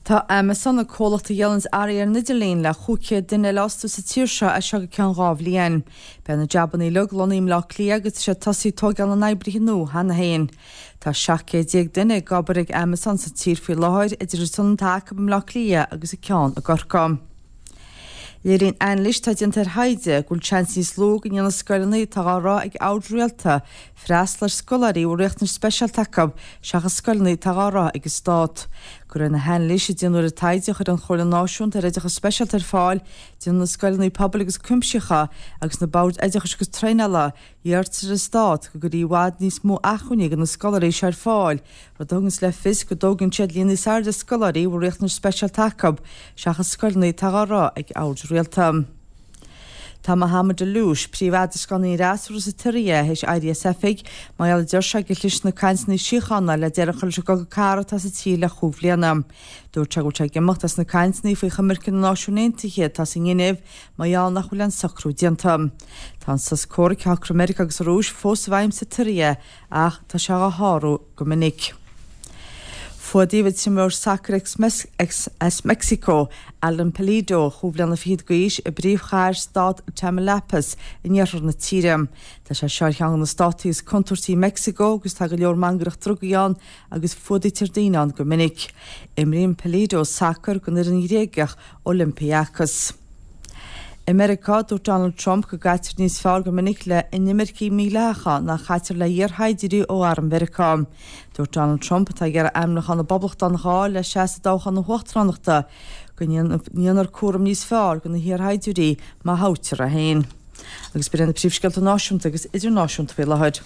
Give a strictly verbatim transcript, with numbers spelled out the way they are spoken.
Tá Amazon, an comhlacht a dhíolann earraí ar an idirlíon, le chúig chéad duine a fhostú sa tír seo as seo go ceann dhá bhliain. Beidh na jabanna uilig lonnaithe i mBleá Cliath agus tá sé tosaithe ag tógáil na n-oibrithe nua cheana féin. Tá seacht gcéad déag duine ag obair ag Amazon sa tír faoi láthair idir an t-ionad atá acu i mBleá Cliath agus an ceann i gCorcaigh. Léiríonn anailís atá déanta ar thaighde go bhfuil seans níos lú go ndéanfaidh scoileanna atá á rith ag oird rialta freastal ar scoláirí a bhfuil riachtanais speisialta acu seachas scoileanna atá á rith ag an stát. De réir na hanailíse a déanadh ar an taighde a chuir an Chomhairle Náisiúnta ar Oideachas Speisialta ar fáil, déanann na scoileanna pobail agus cuimsitheacha agus na boird oideachais agus traenála iarrtar ar an stát go gcuirfí i bhfad níos mó acmhainní do na scoláirí seo ar fáil, rud a thuganns le fios go dtógann siad líon níos airde scoláirí a bhfuil riachtanais speisialta acu seachas scoileanna atá á rith ag oird rialta. Tá Mohammed Alloush, príomh-eadroscánaí an fhreasúra sa tSiria, théis éirí as oifig mar gheall a deir sé gur chlis na cainteanna síochána le deireadh a chur leis an gcogadh cathartha atá sa tír le chúig bhliana. Dúirt sé go bhfuil sé ag imeacht as na cainteanna faoi choimirce na Náisiún Aontaithe atá sa nGinéiv mar gheall nach bhfuil aon socrú déanta. Tá an sos comhraic a shocraigh Meiriceá agus an Rúis fós i bhfeidhm sa tSiria ach tá sé á shárú go minic. Fuadaíodh an t-imreoir sacair as Meicsiceo, Alan Pulido, chúig bhliana fichead d'aois, i bpríomhchathair stát Tamaulipas in iarthar na tíre. Tá sé seo ar cheann de na státaí is contúirtí i Meicsiceo agus tá go leor mangaireacht drugaí ann agus fuadaítear daoine ann go minic. Imríonn Pulido sacar don fhoireann Ghréagach Olympiacos. I Meiriceá, dúirt Donald Trump go gcaitear níos fearr go minic le inimircigh mhídhleathacha ná chaitear le hiarshaighdiúirí ó arm Mheiriceá. Dúirt Donald Trump, atá ag iarraidh ainmniúchán na bPoblachtánach a fháil le seasamh i dtoghchán na huachtaránachta, go ndéanfar cúram níos fearr de na hiarshaighdiúirí má thoghtar é féin. Agus b'in iad na príomhscéalta náisiúnta agus idirnáisiúnta faoi láthair.